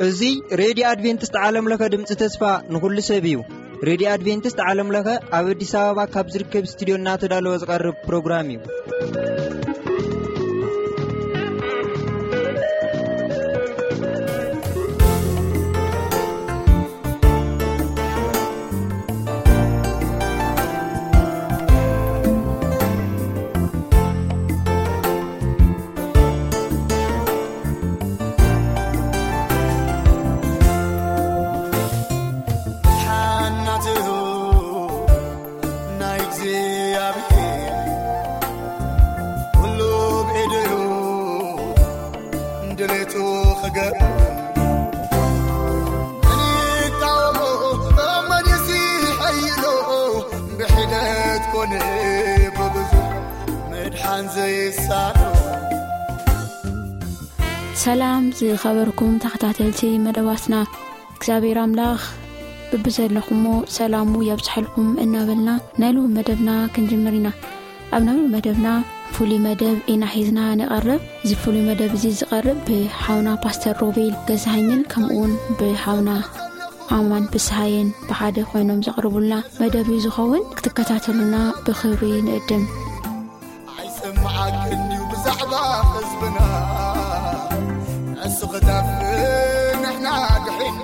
እዚ ሬድዮ ኣድቬንቲስት ዓለም ለኸ ድምፂ ተስፋ ንኹሉ ሰብ እዩ። ሬድዮ ኣድቬንቲስት ዓለም ለኸ ኣብ ኣዲስ ኣበባ ካብ ዝርከብ ስቱዲዮ እናተዳለወ ዝቐርብ ፕሮግራም እዩ። ሓናትኡ ናይ እግዚኣብሔር ኩሉ ብኢዱ እዩ ድሌቱ ክገብር። መን ይቃወሞ? መን ይስሐይሎ? ብሒደት ኮነ ብብዙሕ ምድሓን ዘይሳኖ። ሰላም ዝኸበርኩም ተኸታተልቲ መደባትና፣ እግዚኣብሔር ኣምላኽ ብብዘለኹሞ ሰላሙ የብዝሐልኩም እናበልና ናይ ሎሚ መደብና ክንጅምር ኢና። ኣብ ናይ ሎሚ መደብና ፍሉይ መደብ ኢና ሒዝና ንቐርብ። እዚ ፍሉይ መደብ እዚ ዝቐርብ ብሓውና ፓስተር ሮቤል ገዛሃኝን ከምኡውን ብሓውና ኣማን ፍስሃየን ብሓደ ኮይኖም ዘቕርቡልና መደብ እዩ ዝኸውን። ክትከታተሉና ብኽብሪ ንእድም። ኣይሰማዓክን ድዩ ብዛዕባ ህዝብና? ንሱ ክጠፍእ ንሕና ድሒና።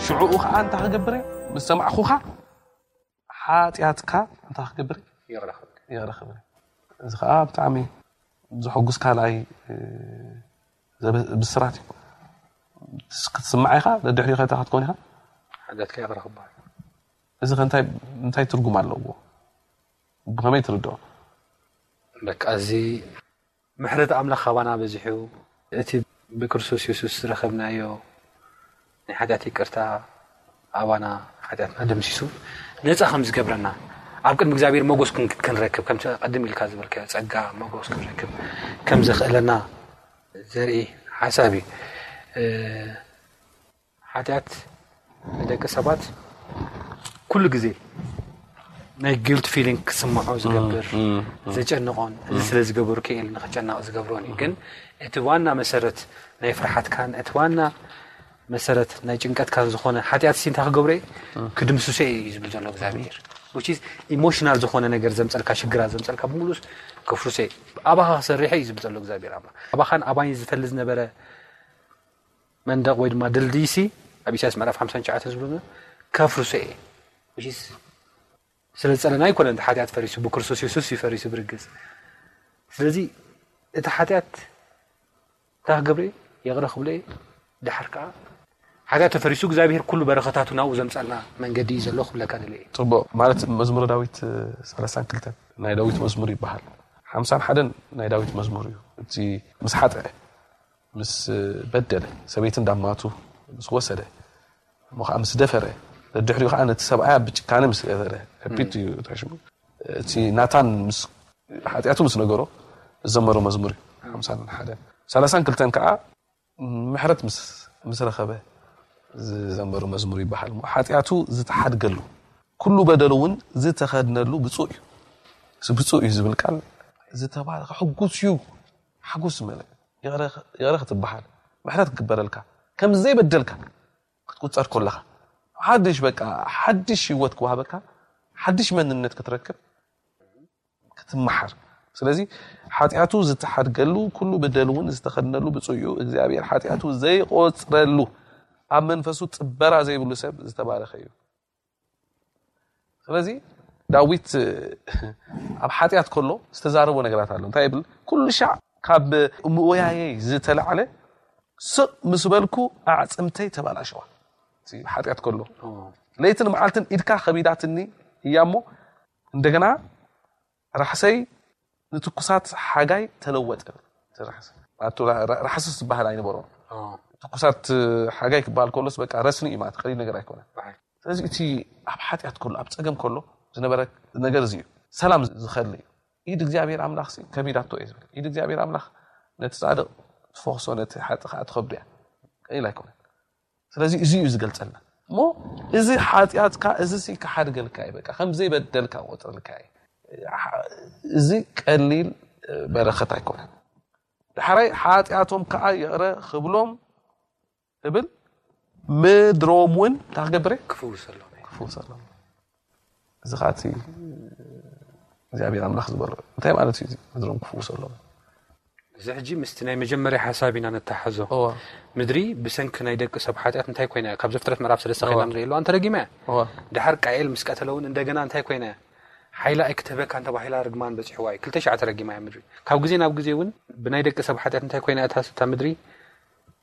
ሽዕኡ ከዓ እንታይ ክገብር እየ? ምስ ሰማዕኹኻ ሓጢኣትካ እንታይ ክገብር እየ? ይቕረ ክብል ይቕረ ክብል እየ። እዚ ከዓ ብጣዕሚ ዘሐጉስ ካልኣይ እ፣ ዘበ- ብስራት እዩ። ክትስማዕ ኢኻ፣ ደድሕሪኡ ከ እንታይ ክትኮን ኢኻ? ሓጢኣትካ ይቕረ ክበሃል እዚ ከ እንታይ እንታይ ትርጉም ኣለዎ? ብኸመይ ትርድኦ? በቃ እዚ ምሕረት ኣምላኽ ካባና በዚሑ እቲ ብክርስቶስ የሱስ ዝረኸብናዮ ናይ ሓጢኣት ይቅርታ ኣባና ሓጢኣትና ደምሲሱ ነፃ ከም ዝገብረና ኣብ ቅድሚ እግዚኣብሔር መጎስ ክን- ክንረክብ ከምቲ ቀድም ኢልካ ዝበልካዮ ጸጋ መጎስ ክንረክብ ከም ዘኽእለና ዘርኢ ሓሳብ እዩ። እ፣ ሓጢኣት ንደቂ ሰባት ኩሉ ግዜ ናይ ጊልት ፊሊንግ ክስምዖ ዝገብር ዘጨንቆን እዚ ስለ ዝገበሩ ክእል ንክጨነቕ ዝገብሮን እዩ። ግን እቲ ዋና መሰረት ናይ ፍርሓትካን እቲ ዋና መሰረት ናይ ጭንቀትካን ዝኾነ ሓጢኣት ሲ እንታይ ክገብሮ እዩ? ክድምስሶ እዩ ዝብል ዘሎ እግዚኣብሔር። ኢሞሽናል ዝኾነ ነገር ዘምፀልካ ሽግራት ዘምፀልካ ብምሉስ ከፍርሶ እዩ። ኣባኻ ክሰርሐ እዩ ዝብል ዘሎ እግዚኣብሔር ኣላ። ኣባኻን ኣባይ ዝፈሊ ዝነበረ መንደቕ ወይ ድማ ድልድይ ሲ ኣብ ኢሳያስ ምዕራፍ ሓምሳን ትሽዓተን ዝብሎ ከፍርሶ እየ። ስለ ዝፀለና ኣይኮነ እቲ ሓጢኣት ፈሪሱ ብክርስቶስ የሱስ እዩ ፈሪሱ ብርግፅ። ስለዚ እቲ ሓጢኣት እንታይ ክገብረ እየ? ይቕረ ክብሎ እየ። ድሓር ከዓ ሓጢኣት ተፈሪሱ እግዚኣብሔር ኩሉ በረኸታቱ ናብኡ ዘምፃልና መንገዲ እዩ ዘሎ ክብለካ ደለ እየ። ፅቡቅ ማለት መዝሙረ ዳዊት ሰላሳን ክልተን ናይ ዳዊት መዝሙር ይበሃል። ሓምሳን ሓደን ናይ ዳዊት መዝሙር እዩ። እቲ ምስ ሓጠ ምስ በደለ ሰበይቲ እንዳማቱ ምስ ወሰደ እሞ ከዓ ምስ ደፈረ ደድሕሪኡ ከዓ ነቲ ሰብኣያ ብጭካነ ምስ ገፈረ ከቢድ እዩ ተሽሙ እቲ ናታን ምስ ሓጢኣቱ ምስ ነገሮ ዝዘመሮ መዝሙር እዩ። ሓምሳን ሓደን ሰላሳን ክልተን ከዓ ምሕረት ምስ ምስ ረኸበ ዝዘመሮ መዝሙር ይበሃል። እሞ ሓጢኣቱ ዝተሓድገሉ ኩሉ በደሉ እውን ዝተኸድነሉ ብፁዕ እዩ። እዚ ብፁዕ እዩ ዝብል ቃል ዝተባረኸ ሕጉስ እዩ። ሓጎስ ዝመልአ ይቕረ ይቕረ ክትበሃል ምሕረት ክግበረልካ ከም ዘይበደልካ ክትቁፀር ከለኻ ሓድሽ በቃ ሓድሽ ህይወት ክወሃበካ ሓድሽ መንነት ክትረክብ ክትመሓር ስለዚ ሓጢኣቱ ዝተሓድገሉ ኩሉ በደሉ እውን ዝተኸድነሉ ብፁዕ እዩ እግዚኣብሔር ሓጢኣቱ ዘይቆፅረሉ ኣብ መንፈሱ ፅበራ ዘይብሉ ሰብ ዝተባረኸ እዩ። ስለዚ ዳዊት ኣብ ሓጢኣት ከሎ ዝተዛረቦ ነገራት ኣሎ እንታይ ይብል ኩሉ ሻዕ ካብ ምእወያየይ ዝተላዕለ ስቕ ምስ በልኩ ኣዕፅምተይ ተባላሸዋ። ሓጢኣት ከሎ ለይትን መዓልትን ኢድካ ከቢዳትኒ እያ እሞ እንደገና ራሕሰይ ንትኩሳት ሓጋይ ተለወጠ። ራሕስስ ዝበሃል ኣይነበሮ። ትኩሳት ሓጋይ ክበሃል ከሎስ በቃ ረስኒ እዩ ማለት ቀሊል ነገር ኣይኮነ። ስለዚ እቲ ኣብ ሓጢኣት ከሎ ኣብ ፀገም ከሎ ዝነበረ ነገር እዚ እዩ። ሰላም ዝኸል እዩ። ኢድ እግዚኣብሔር ኣምላኽ ከቢዳቶ እየ ዝብል ኢድ እግዚኣብሔር ኣምላኽ ነቲ ፃድቕ ትፈኽሶ ነቲ ሓጢ ከዓ ትኸብዶ እያ። ቀሊል ኣይኮነ። ስለዚ እዚ እዩ ዝገልፀልና እሞ እዚ ሓጢኣትካ እዚ ሲ ክሓድገልካ እዩ በቃ ከም ዘይበደልካ ቆፅረልካ እዩ። እዚ ቀሊል በረኸት ኣይኮነን። ዳሕራይ ሓጢኣቶም ከዓ ይቕረ ክብሎም እብል ምድሮም እውን እንታይ ክገብር እየ ክፍውሰሎም እየ። ክፍውሰሎም እዚ ከዓ እቲ እግዚኣብሔር ኣምላኽ ዝበሎ እንታይ ማለት እዩ? ምድሮም ክፍውሰሎም እዚ ሕጂ ምስቲ ናይ መጀመርያ ሓሳብ ኢና ነተሓዞ። እዋ ምድሪ ብሰንኪ ናይ ደቂ ሰብ ሓጢኣት እንታይ ኮይና እያ? ካብ ዘፍጥረት ምዕራፍ ሰለስተ እዋ ከይና ንርኢ ኣለዋ እንተረጊማ እያ። እዋ ድሓር ቃኤል ምስ ቀተለ እውን እንደገና እንታይ ኮይና እያ? ሓይላ ኣይክትህበካን ተባሂላ ርግማን በፂሕዋ እዩ። ክልተ ሻዕ ተረጊማ እያ ምድሪ። ካብ ግዜ ናብ ግዜ እውን ብናይ ደቂ ሰብ ሓጢኣት እንታይ ኮይና እያ እታ እታ ምድሪ?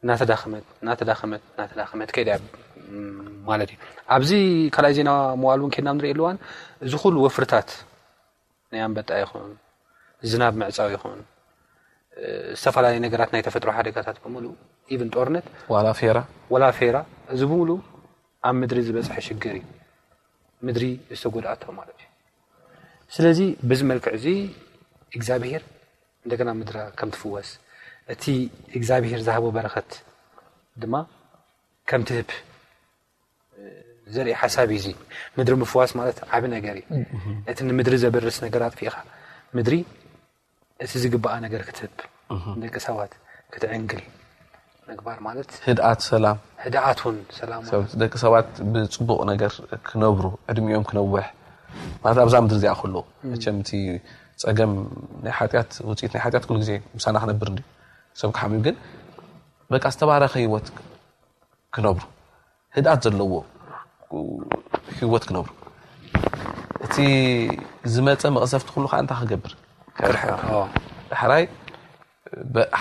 እናተዳኸመት እናተዳኸመት እናተዳኸመት ከይዳ እያ ማለት እዩ። ኣብዚ ካልኣይ ዜና መዋል እውን ከይድና ንርኢ ኣለዋን እዚ ኩሉ ወፍርታት ናይ ኣንበጣ ይኹን ዝናብ ምዕፃው ይኹን ዝተፈላለዩ ነገራት ናይ ተፈጥሮ ሓደጋታት ብምሉእ ኢቭን ጦርነት ዋላ ፌራ ዋላ ፌራ እዚ ብምሉእ ኣብ ምድሪ ዝበፅሐ ሽግር እዩ። ምድሪ ዝተጎድኣቶ ማለት እዩ። ስለዚ በዚ መልክዕ እዚ እግዚኣብሄር እንደገና ምድራ ከም ትፍወስ እቲ እግዚኣብሄር ዝሃቦ በረኸት ድማ ከም ትህብ ዘርኢ ሓሳብ እዩ። እዚ ምድሪ ምፍዋስ ማለት ዓቢ ነገር እዩ። እቲ ንምድሪ ዘበርስ ነገር ኣጥፊእኻ ምድሪ እቲ ዝግባኣ ነገር ክትህብ ንደቂ ሰባት ክትዕንግል ምግባር ማለት ህድኣት ሰላም ህድኣት እውን ሰላም ማለት ደቂ ሰባት ብፅቡቕ ነገር ክነብሩ ዕድሚኦም ክነውሕ ማለት ኣብዛ ምድሪ እዚኣ ከለዉ መቸም እቲ ፀገም ናይ ሓጢኣት ውፅኢት ናይ ሓጢኣት ኩሉ ግዜ ምሳና ክነብር እንዲ ሰብ ክሓምዩ ግን በቃ ዝተባረኸ ህይወት ክነብሩ ህድኣት ዘለዎ ህይወት ክነብሩ። እቲ ዝመፀ መቕሰፍቲ ኩሉ ከዓ እንታይ ክገብር? ክርሕቕ። ዳሕራይ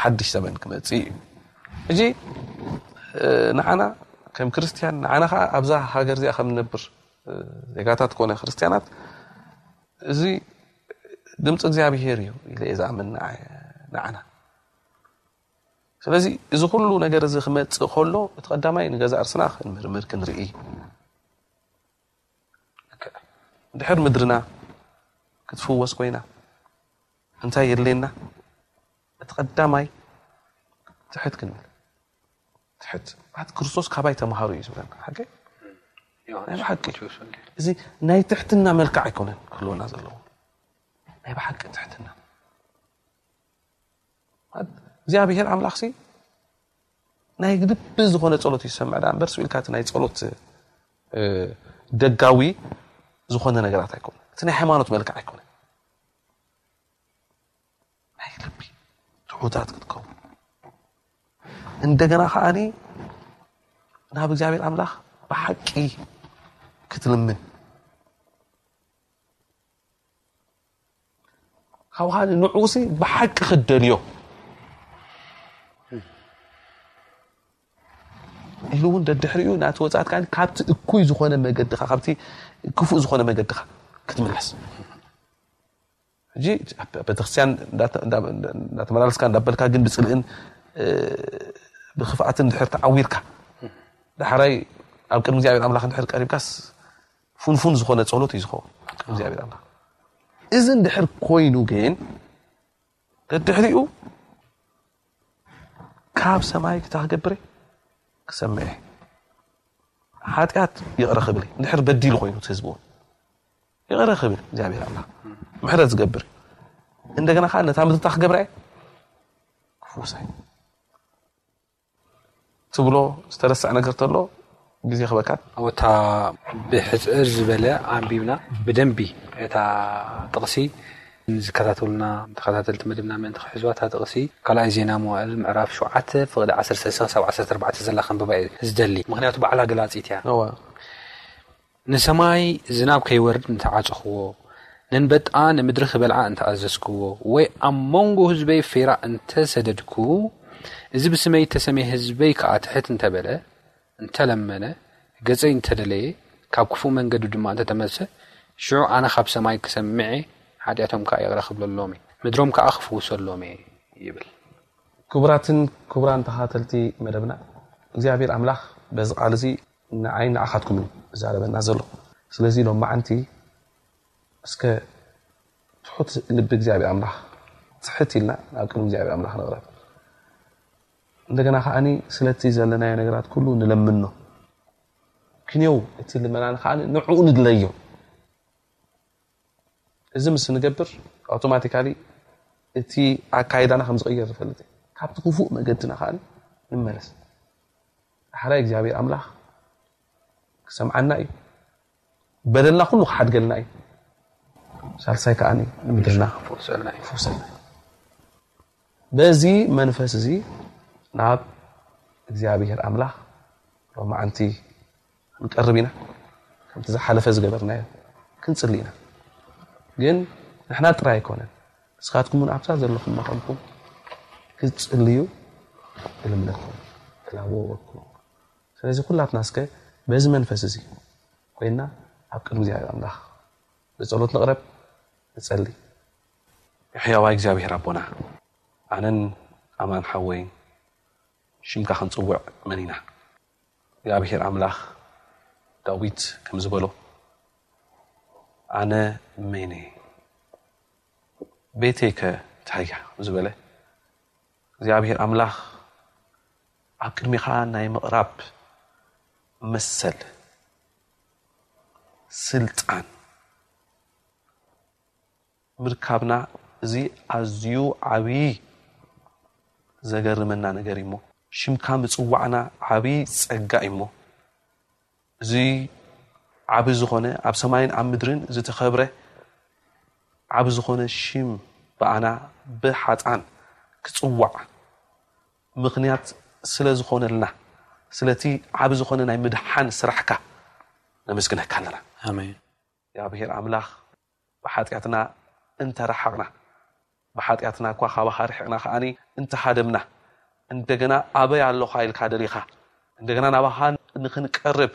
ሓድሽ ዘመን ክመፅእ እዩ። እጂ ንዓና ከም ክርስትያን፣ ንዓና ከዓ ኣብዛ ሃገር እዚኣ ከም ንነብር ዜጋታት ኮነ ክርስትያናት፣ እዚ ድምፂ እግዚኣብሄር እዩ ኢለ እየ ዝኣምን። ንዓና ስለዚ እዚ ኩሉ ነገር እዚ ክመፅእ ከሎ እቲ ቀዳማይ ንገዛ እርስና ክንምርምር ክንርኢ። ድሕር ምድርና ክትፍወስ ኮይና እንታይ የድልየና? እቲ ቀዳማይ ትሕት ክንብል። ትሕት ማለት ክርስቶስ ካባይ ተምሃሩ እዩ ዝብለና። ሓቂ ናይ ብሓቂ እዚ ናይ ትሕትና መልክዕ ኣይኮነን ክህልወና ዘለዎ። ናይ ብሓቂ ትሕትና እግዚኣብሔር ኣምላኽሲ ናይ ልቢ ዝኾነ ጸሎት ይሰምዕ ዳ እምበር ስኢልካ እቲ ናይ ጸሎት ደጋዊ ዝኾነ ነገራት ኣይኮነ። እቲ ናይ ሃይማኖት መልክዕ ኣይኮነ። ናይ ልቢ ትሑታት ክትከውን፣ እንደገና ከዓኒ ናብ እግዚኣብሔር ኣምላኽ ብሓቂ ክትልምን፣ ካብ ከዓኒ ንዕኡሲ ብሓቂ ክትደልዮ ኢሉ እውን ደድሕሪኡ ናቲ ወጻት ከዓኒ ካብቲ እኩይ ዝኾነ መገድኻ፣ ካብቲ ክፉእ ዝኾነ መገድኻ ክትምለስ። ሕጂ ኣብ ቤተክርስትያን እንዳተ-፣ እንዳ-፣ እንዳተመላለስካ እንዳበልካ ግን ብጽልእን፣ እ፣ ብክፍኣትን ድሕር ተዓዊርካ፣ ዳሕራይ ኣብ ቅድሚ እግዚኣብሔር ኣምላኽ እንድሕር ቀሪብካስ፣ ፍንፉን ዝኾነ ጸሎት እዩ ዝኸውን ኣብ ቅድሚ እግዚኣብሔር ኣምላኽ። እዚ እንድሕር ኮይኑ ግን፣ ደድሕሪኡ ካብ ሰማይ ክታ ክገብር እየ፣ ክሰምዕ እየ። ሓጢኣት ይቕረ ክብል እየ። እንድሕር በዲሉ ኮይኑ እቲ ህዝቢ እውን ይቕረ ክብል እግዚኣብሔር ኣምላኽ ምሕረት ዝገብር እዩ። እንደገና ከዓ ነታ ምድርታ ክገብራ እየ፣ ክፍውሳ እየ ትብሎ ዝተረስዐ ነገር ተሎ ግዜ ክበካት። ኣብታ ብሕጽር ዝበለ ኣንቢብና ብደንቢ እታ ጥቕሲ ዝከታተሉና ተኸታተልቲ መደብና ምእንቲ ክሕዝዋ እታ ጥቕሲ ካልኣይ ዜና መዋእል ምዕራፍ ሸውዓተ ፍቕዲ ዓሰርተ ሰለስተ ክሳብ ዓሰርተ ኣርባዕተ ዘላ ከንብባ እየ ዝደሊ። ምኽንያቱ ባዕላ ገላጺት እያ። እዋ። ንሰማይ ዝናብ ከይወርድ እንተዓጸኽዎ፣ ነንበጣ ንምድሪ ክበልዓ እንተኣዘዝክዎ፣ ወይ ኣብ መንጎ ህዝበይ ፌራ እንተሰደድኩ፣ እዚ ብስመይ እተሰምየ ህዝበይ ከኣ ትሕት እንተበለ፣ እንተለመነ፣ ገጸይ እንተደለየ፣ ካብ ክፉእ መንገዱ ድማ እንተተመልሰ፣ ሽዑ ኣነ ካብ ሰማይ ክሰምዕ እየ፣ ሓጢኣቶም ከኣ ይቕረ ክብለሎም እየ፣ ምድሮም ከኣ ክፍውሰሎም እየ ይብል። ክቡራትን ክቡራን ተኸታተልቲ መደብና፣ እግዚኣብሔር ኣምላኽ በዚ ቃል እዚ ንዓይ ንዓኻትኩም እዩ ዝዛረበና ዘሎ። ስለዚ ሎማዓንቲ እስከ ትሑት ልቢ እግዚኣብሔር ኣምላኽ ትሕት ኢልና ናብ ቅድሚ እግዚኣብሔር ኣምላኽ ንቕረብ። እንደገና ከዓኒ ስለቲ ዘለናዮ ነገራት ኩሉ ንለምኖ። ክንየው እቲ ልመናን ከዓኒ ንዕኡ ንድለዮ። እዚ ምስ ንገብር ኣውቶማቲካሊ እቲ ኣካይዳና ከም ዝቕየር ንፈልጥ ኢና። ካብቲ ክፉእ መገድና ከዓኒ ንመለስ። ዳሕራይ እግዚኣብሔር ኣምላኽ ክሰምዓና እዩ። በደልና ኩሉ ክሓድገልና እዩ። ሳልሳይ ከዓኒ ንምድርና ክፈውሰልና እዩ። ክፈውሰልና እዩ። በዚ መንፈስ እዚ ናብ እግዚኣብሔር ኣምላኽ ሎማዓንቲ ክንቀርብ ኢና። ከምቲ ዝሓለፈ ዝገበርናዮ ክንጽሊ ኢና። ግን ንሕና ጥራይ ኣይኮነን፣ ንስኻትኩም እውን ኣብታ ዘለኹም መኸንኩም ክትጽልዩ እልምነኩም እላበወኩም። ስለዚ ኩላትና እስከ በዚ መንፈስ እዚ ኮይና ኣብ ቅድሚ እግዚኣብሔር ኣምላኽ ብጸሎት ንቕረብ፣ ንጸሊ። ሕያዋይ እግዚኣብሔር ኣቦና፣ ኣነን ኣማን ሓወይን ሽምካ ክንጽውዕ መኒና። እግዚኣብሔር ኣምላኽ፣ ዳዊት ከም ዝበሎ፣ "ኣነ መን እየ? ቤተይከ እንታይ እያ?" ዝበለ እግዚኣብሔር ኣምላኽ፣ ኣብ ቅድሚኻ ናይ ምቕራብ መሰል፣ ስልጣን ምርካብና፣ እዚ ኣዝዩ ዓብዪ ዘገርመና ነገር እዩ እሞ፣ ሽምካ ምጽዋዕና ዓብዪ ጸጋ እዩ እሞ፣ እዚ ዓቢ ዝኾነ ኣብ ሰማይን ኣብ ምድርን ዝተኸብረ ዓቢ ዝኾነ ሽም ብኣና ብሓጥኣን ክጽዋዕ ምኽንያት ስለ ዝኾነልና፣ ስለቲ ዓብ ዝኾነ ናይ ምድሓን ስራሕካ ነመስግነካ ኣለና። ኣሜን። እግዚኣብሔር ኣምላኽ፣ ብሓጢኣትና እንተረሓቕና፣ ብሓጢኣትና እኳ ካባኻ ርሒቕና ከኣኒ እንተሃደምና፣ እንደገና ኣበይ ኣለኻ ኢልካ ደሊኻ፣ እንደገና ናባኻ ንኽንቀርብ፣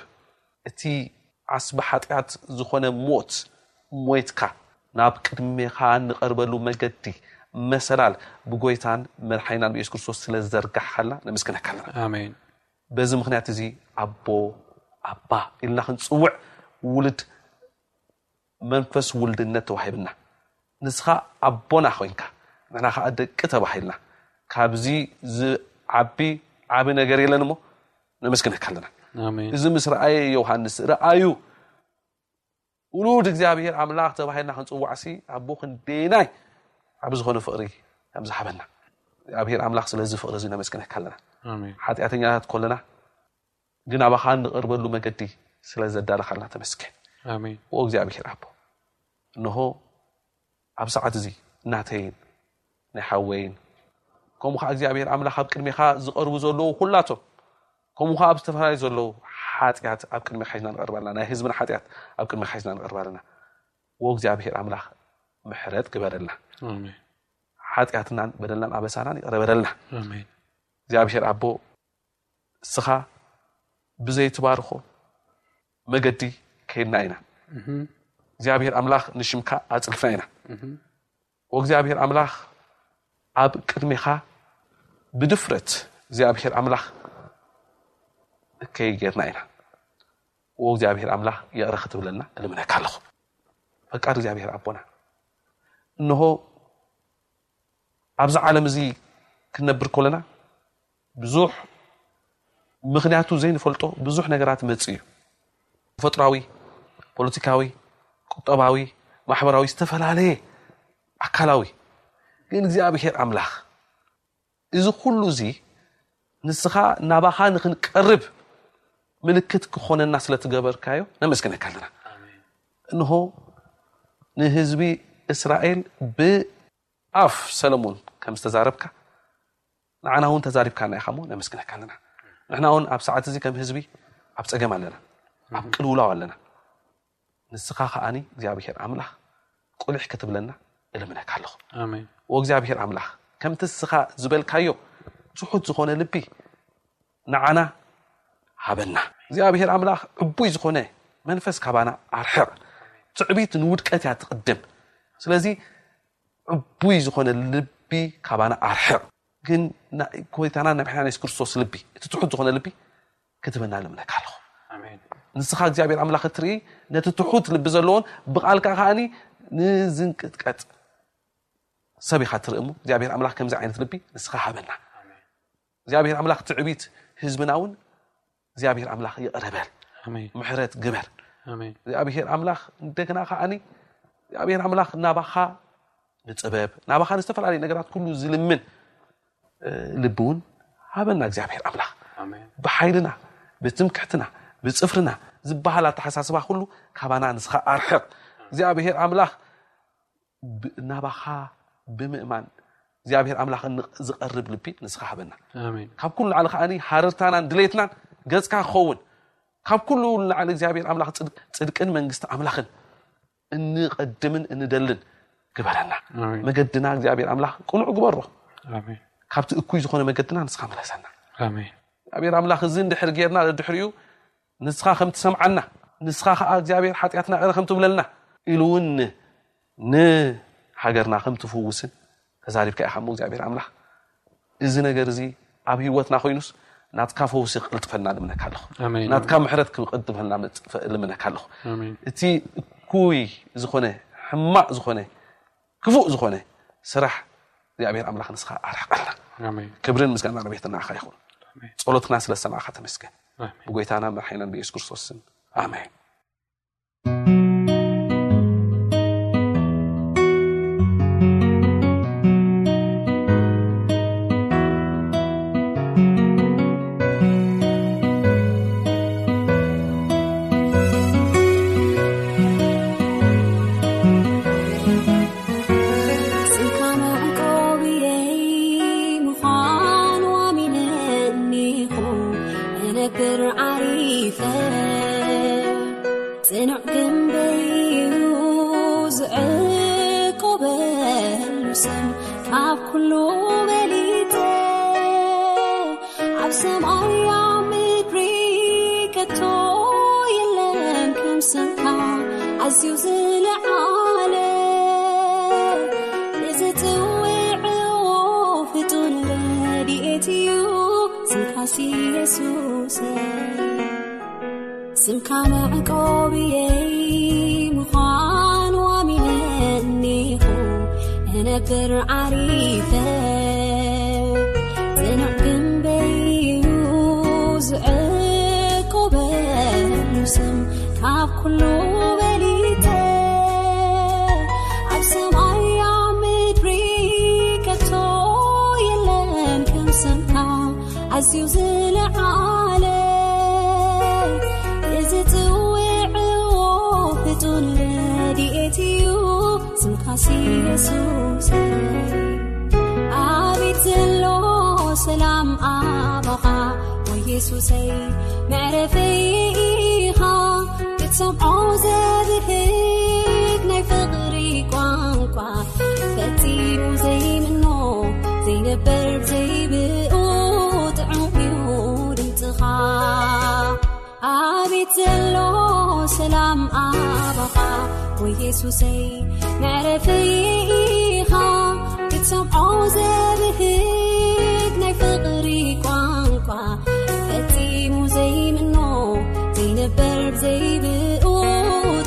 እቲ ዓስቢ ሓጢኣት ዝኾነ ሞት ሞይትካ፣ ናብ ቅድሜኻ እንቐርበሉ መገዲ፣ መሰላል፣ ብጎይታን መድሓኒናን ብኢየሱስ ክርስቶስ ስለ ዝዘርጋሕካልና ነመስግነካ ኣለና። ኣሜን። በዚ ምኽንያት እዚ ኣቦ፣ ኣባ ኢልና ክንጽውዕ ውሉድ መንፈስ ውልድነት ተዋሂብና። ንስኻ ኣቦና ኮይንካ፣ ንሕና ከኣ ደቂ ተባሂልና። ካብዚ ዝዓቢ ዓቢ ነገር የለን እሞ ነመስግነካ ኣለና። ኣሜን። እዚ ምስ ረኣየ ዮሃንስ፣ "ረኣዩ፣ ውሉድ እግዚኣብሔር ኣምላኽ ተባሂልና ክንጽዋዕሲ ኣቦ ክንደየናይ ዓቢ ዝኾነ ፍቕሪ ከም ዝሃበና እግዚኣብሔር ኣምላኽ ስለዚ ፍቕሪ እዚ ነመስግነካ ኣለና። ኣሜን። ሓጢኣተኛታት ኮለና ግን ኣባኻ እንቐርበሉ መገዲ ስለ ዘዳለኻልና ተመስገን። ኣሜን። ኦ እግዚኣብሔር ኣቦ፣ እንሆ ኣብ ሰዓት እዚ ናተይን ናይ ሓወይን፣ ከምኡ ኸዓ እግዚኣብሔር ኣምላኽ ኣብ ቅድሜኻ ዝቐርቡ ዘለዉ ኩላቶም፣ ከምኡ ኸዓ ኣብ ዝተፈላለዩ ዘለዉ ሓጢኣት ኣብ ቅድሜኻ ሒዝና ንቐርብ ኣለና። ናይ ህዝብና ሓጢኣት ኣብ ቅድሜኻ ሒዝና ንቐርብ ኣለና። ዎ እግዚኣብሔር ኣምላኽ ምሕረት ግበረልና። ኣሜን። ሓጢኣትናን በደልናን ኣበሳናን ይቕረ በለልና። ኣሜን። እግዚኣብሔር ኣቦ፣ እስኻ ብዘይትባርኾ መገዲ ከይድና ኢና። እግዚኣብሔር ኣምላኽ ንሽምካ ኣጽልፍና ኢና። ወእግዚኣብሔር ኣምላኽ ኣብ ቅድሜኻ ብድፍረት እግዚኣብሔር ኣምላኽ እከይ ጌርና ኢና። ወእግዚኣብሔር ኣምላኽ ይቕረ ክትብለና እልምነካ ኣለኹ። ፈቃድ እግዚኣብሔር ኣቦና፣ እንሆ ኣብዚ ዓለም እዚ ክንነብር ከለና ብዙሕ ምኽንያቱ ዘይንፈልጦ ብዙሕ ነገራት መጽእ እዩ። ተፈጥሯዊ፣ ፖለቲካዊ፣ ቁጠባዊ፣ ማሕበራዊ፣ ዝተፈላለየ ኣካላዊ። ግን እግዚኣብሔር ኣምላኽ እዚ ኩሉ እዚ ንስኻ ናባኻ ንኽንቀርብ ምልክት ክኾነና ስለ ትገበርካዮ ነመስግነካ ኣለና። እንሆ ንህዝቢ እስራኤል ብኣፍ ሰለሞን ከም ዝተዛረብካ ንዓና እውን ተዛሪብካና ኢኻ እሞ ነመስግነካ ኣለና። ንሕና እውን ኣብ ሰዓት እዚ ከም ህዝቢ ኣብ ጸገም ኣለና፣ ኣብ ቅልውላው ኣለና። ንስኻ ከኣኒ እግዚኣብሔር ኣምላኽ ቁሊሕ ክትብለና እልምነካ ኣለኹ። ኣሜን። ወእግዚኣብሔር ኣምላኽ ከምቲ ንስኻ ዝበልካዮ ትሑት ዝኾነ ልቢ ንዓና ሃበና። እግዚኣብሔር ኣምላኽ ዕቡይ ዝኾነ መንፈስ ካባና ኣርሕቕ። ትዕቢት ንውድቀት እያ ትቕድም። ስለዚ ዕቡይ ዝኾነ ልቢ ካባና ኣርሕቕ። ግን ና-፣ ጎይታና ናይ መድሓኒና የሱስ ክርስቶስ ልቢ፣ እቲ ትሑት ዝኾነ ልቢ ክትበና ልምነካ ኣለኹ። ኣሜን። ንስኻ እግዚኣብሔር ኣምላኽ እትርኢ ነቲ ትሑት ልቢ ዘለዎን ብቓልካ ከኣኒ ንዝንቅጥቀጥ ሰብ ኢኻ ትርኢ እሞ እግዚኣብሔር ኣምላኽ ከምዚ ዓይነት ልቢ ንስኻ ሃበና። እግዚኣብሔር ኣምላኽ ትዕቢት ህዝብና እውን እግዚኣብሔር ኣምላኽ ይቕረ በል፣ ኣሜን። ምሕረት ግበር። ኣሜን። እግዚኣብሔር ኣምላኽ እንደገና ከኣኒ እግዚኣብሔር ኣምላኽ ናባኻ ንጥበብ ናባኻ ንዝተፈላለዩ ነገራት ኩሉ ዝልምን እ፣ ልቢ እውን ሃበና እግዚኣብሔር ኣምላኽ። ኣሜን። ብሓይልና ብትምክሕትና ብጽፍርና ዝበሃል ኣተሓሳስባ ኩሉ ካባና ንስኻ ኣርሕቕ። እግዚኣብሔር ኣምላኽ ብ-፣ ናባኻ ብምእማን እግዚኣብሔር ኣምላኽ ን-፣ ዝቐርብ ልቢ ንስኻ ሃበና። ኣሜን። ካብ ኩሉ ንላዕሊ ከኣኒ ሃረርታናን ድሌትናን ገጽካ ክኸውን፣ ካብ ኩሉ ንላዕሊ እግዚኣብሔር ኣምላኽ ጽድቅ-፣ ጽድቅን መንግስቲ ኣምላኽን እንቐድምን እንደልን ግበረና። ኣሜን። መገድና እግዚኣብሔር ኣምላኽ ቅኑዕ ግበሮ። ኣሜን። ካብቲ እኩይ ዝኾነ መገድና ንስኻ ምለሰና። ኣሜን። እግዚኣብሔር ኣምላኽ እዚ እንድሕር ጌርና ድሕሪኡ ንስኻ ከም ትሰምዓና፣ ንስኻ ኸዓ እግዚኣብሔር ሓጢኣትና ይቕረ ከም ትብለልና ኢሉ እውን ንሃገርና ከም ትፍውስን ተዛሪብካ ኢኻ እሞ እግዚኣብሔር ኣምላኽ እዚ ነገር እዚ ኣብ ህይወትና ኮይኑስ ናትካ ፈውሲ ክቕልጥፈልና ልምነካ ኣለኹ። ኣሜን። ናትካ ምሕረት ክቕልጥፈልና መጽ-፣ ልምነካ ኣለኹ። ኣሜን። እቲ እኩይ ዝኾነ ሕማቕ ዝኾነ ክፉእ ዝኾነ ስራሕ እግዚኣብሔር ኣምላኽ ንስኻ ኣርሕቐልና። ኣሜን። ክብርን ምስጋና ረቤት ንዓኻ ይኹን። ኣሜን። ጸሎትና ስለ ሰማዕካ ተመስገን። ኣሜን። ብጎይታና መድሓኒናን ብኢየሱስ ክርስቶስ ስም ኣሜን። ስምካ መዕቆብየይ ምዃኑ ኣሚነ እኒኹ፣ እነ ይፈር ጽኑዕ ግንበዩ ዝዕቆበሉ ስም ካብ ኩሉ በሊጠ ኣብ ሰማይ ኣብ ምድሪ ከቶ የለን ከም ስምካ ኣዝዩ ዝለዓለ ንዝጽውዕዎ ፍጡር ረድኤት እዩ ስምካስ ኢየሱስ ስምካ መዕቆብየይ ምዃኑ ኣሚነኒኹ እነብር ዓሪፈ ጽኑዕ ግንበይዩ ዝዕቆበሉ ስም ካብ ኩሉ በሊተ ኣብ ሰማይ ኣብ ምድሪ ከቶ የለን ከም ስምካ ኣዝዩ ዝለዓለ እዚ ጽውዕዎ ፍጡር ረድኤት እዩ ስምካስ ኢየሱስ ኣቤት ዘሎ ሰላም ኣባኻ ወይ የሱሰይ መዕረፈይ ኢኻ ክትሰምዖ ዘብህግ ናይ ፍቕሪ ቋንቋ ፈጺሙ ዘይምኖ ዘይነበር ዘይብኡ ጥዑም እዩ ድምፅኻ ኣቤት ዘሎ ሰላም ኣባኻ ወይ የሱሰይ መዕረፈይ ኢኻ ክትሰምዖ ዘብህግ ናይ ፍቕሪ ቋንቋ ፈጺሙ ዘይምኖ ዘይነበር ዘይብኡ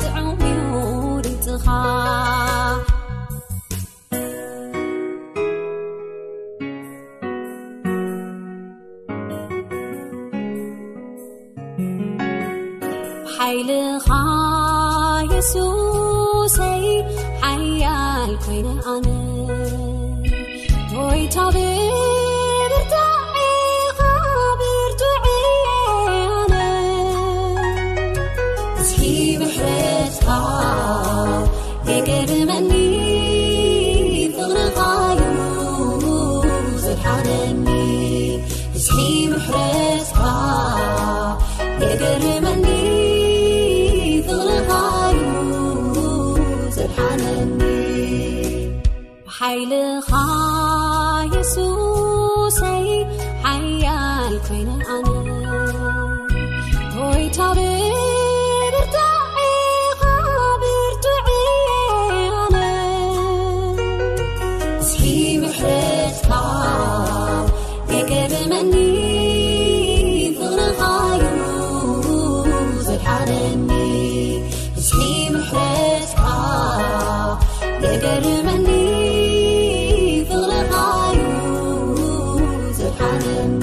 ጥዑም እዩ ድምፅኻ ሓይልኻ የሱሰይ ሓያል ኮይነ ኣነ ጎይታ ብብርታዔኻ ብርቱዕ እየ ኣነ እስኪ ምሕረትካ የገርመኒ ፍቕርኻ እዩ ዘድሓነኒ እስኪ ምሕረትካ የገርመኒ ፍቕርኻ እዩ ዘድሓነኒ ሓይልኻ የሱሰይ ሓያል ኮይነ ኣነ ጎይታ ብብርታዔኻ ብርቱዕ እየ ኣነ እስኪ ምሕረትካ የገርመኒ ፍቕርኻ እዩ ዘድሓነኒ እስኪ ምሕረትካ የገርመኒ ፍቕርኻ እዩ ዘድሓነኒ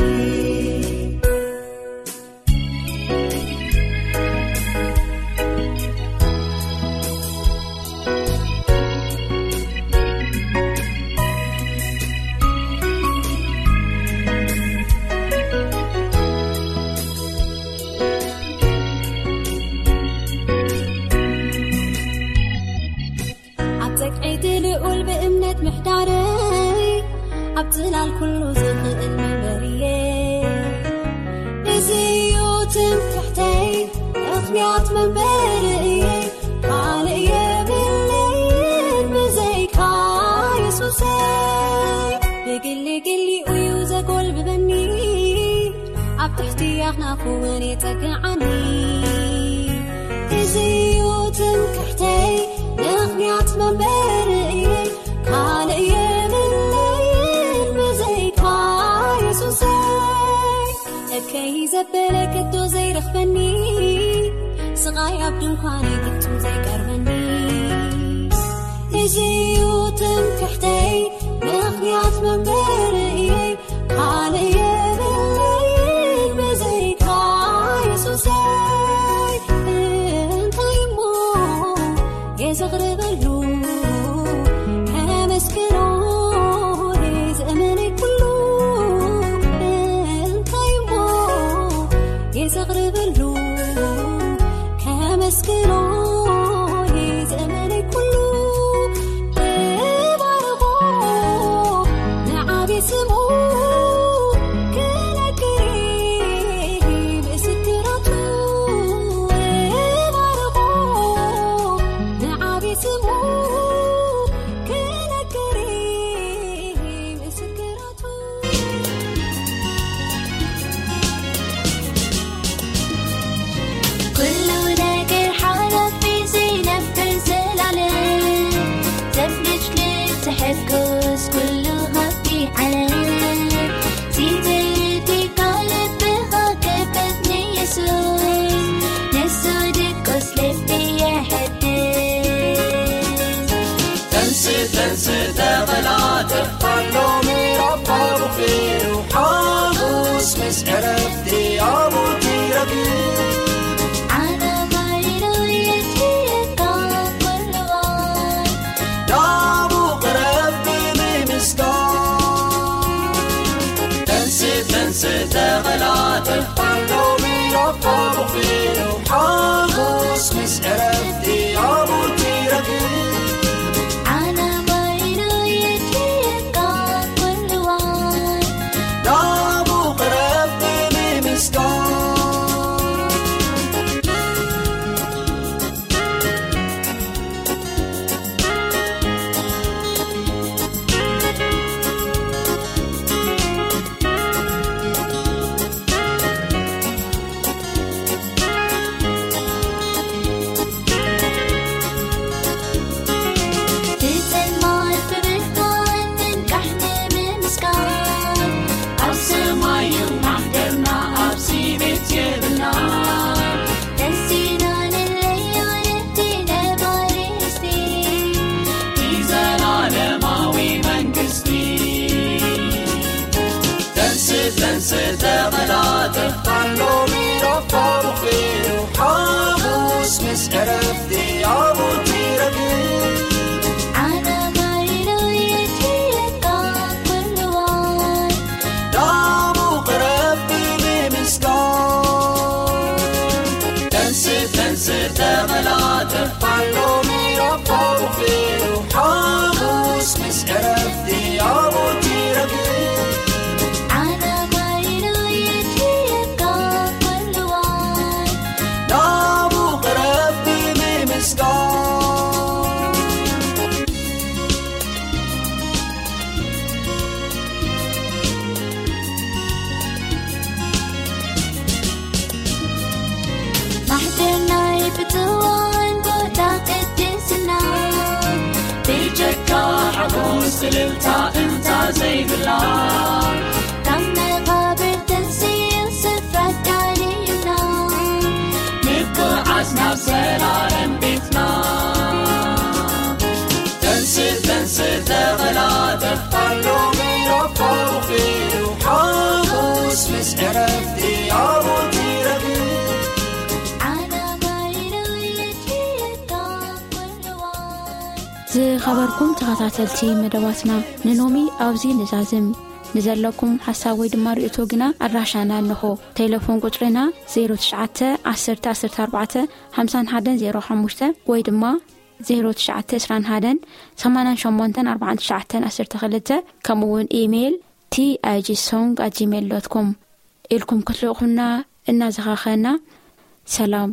ኣብ ጸግዒ ልዑል ብእምነት ምሕዳረይ ኣብ ጽላል ኩሉ ዝኽእል መንበርየ እዚ እዩ ትምክሕተይ ምኽንያት መንበርየ ካልእ የብለይን ብዘይካ የሱሰይ ብግሊ ግሊኡ እዩ ዘጎልብበኒ ኣብ ትሕቲ ኣኽናፉ እውን የጸግዓኒ እዚ እዩ ትምክሕተይ ምኽንያት መንበርየ ካልእ የብለይን ብዘይካ የሱሰይ እከይ ዘበለ ከቶ ዘይረኽበኒ ስቓይ ኣብ ድንኳነይ ፍጹም ዘይቀርበኒ እዚ እዩ ትምክሕተይ ምኽንያት መንበርየ ካልእ የብለይን ብዘይካ የሱሰይ እንታይ እሞ የዘቕርበሉ ከመስግኖ ዘመነይ ኩሉ እንታይ እሞ የዘቕርበሉ ከመስግኖ ዘመነይ ኩሉ እባርኾ ንዓቢ ስሙ ክነግር ምስክራቱ ዝተቐላጠፋ ሎሚ ረፋ ብኺሩ ሓጎስ ምስ ዕረፍቲ ኣብኡ ትረግብ። ዓለማይ ዶ የድልየካ ኩሉ እዋን። ናብኡ ቅረብ ብምምስጋን። ተንስእ፣ ተንስእ፣ ተቐላጠፍ፣ ሎሚ ረፋ ብኺሩ ሓጎስ ምስ ዕረፍቲ ኣብኡ ትረግብ። ዓለማይ ዶ የድልየካ ኩሉ እዋን። ናብኡ ቅረብ ብምምስጋን። ብጸልማት ብብርሃን ምንቃሕ ንምምስጋን። ኣብ ሰማይ እዩ ማሕደርና፣ ኣብዚ ቤት የብልና። ተንሲና ንለዮ ነቲ ነባሪ ርስቲ፣ ንዘላለማዊ መንግስቲ። ተንስእ፣ ተንስእ፣ ተቐላጠፍ፣ ሎሚ ረፋ ብኺሩ ሓሙስ ምስ ዕረፍቲ ኣብኡ ትረግብ። ዓለማይ ዶ የድልየካ ኩሉ እዋን። ናብኡ ቅረብ ብምምስጋን። ተንስእ፣ ተንስእ፣ ተቐላጠፍ፣ ሎሚ ረፋ ብኺሩ ሓሙስ ምስ ዕረፍቲ ኣብኡ ትረግብ። ዓለማይ ዶ የድልየካ ኩሉ እዋን። ናብኡ ቅረብ ብምምስጋን። ማሕደር ናይ ብፅዋን ቦታ ቅድስና፣ ብጀካ ሓጎስ እልልታ እንታ ዘይብላ፣ ካብ መቓብር ተንስኡ ስፍራ ኣዳልዩልና፣ ንጉዓዝ ናብ ዘላለም ቤትና። ተንስእ፣ ተንስእ፣ ተቐላጠፍ፣ ሎሚ ረፋ ብኺሩ ሓሙስ ምስ ዕረፍቲ ኣብኡ ትረግብ። ዓለማይ ዶ የድልየካ ኩሉ እዋን። ዝኸበርኩም ተኸታተልቲ መደባትና፣ ንሎሚ ኣብዚ ንዛዝም። ንዘለኩም ሓሳብ ወይ ድማ ርእይቶ ግና ኣድራሻና ኣለኹ። ቴሌፎን ቁጽርና ዜሮ ትሽዓተ ዓሰርተ ዓሰርተ ኣርባዕተ ሓምሳን ሓደን ዜሮ ሓሙሽተ ወይ ድማ ዜሮ ትሽዓተ ዕስራን ሓደን ሰማንያን ሸሞንተን ኣርባዓን ትሽዓተን ዓሰርተ ክልተ፣ ከምኡ እውን ኢሜይል ቲ ኣይ ጂ ሶንግ ኣት ጂሜይል ዶት ኮም ኢልኩም ክትልእኹና እናዘኻኸና፣ ሰላም።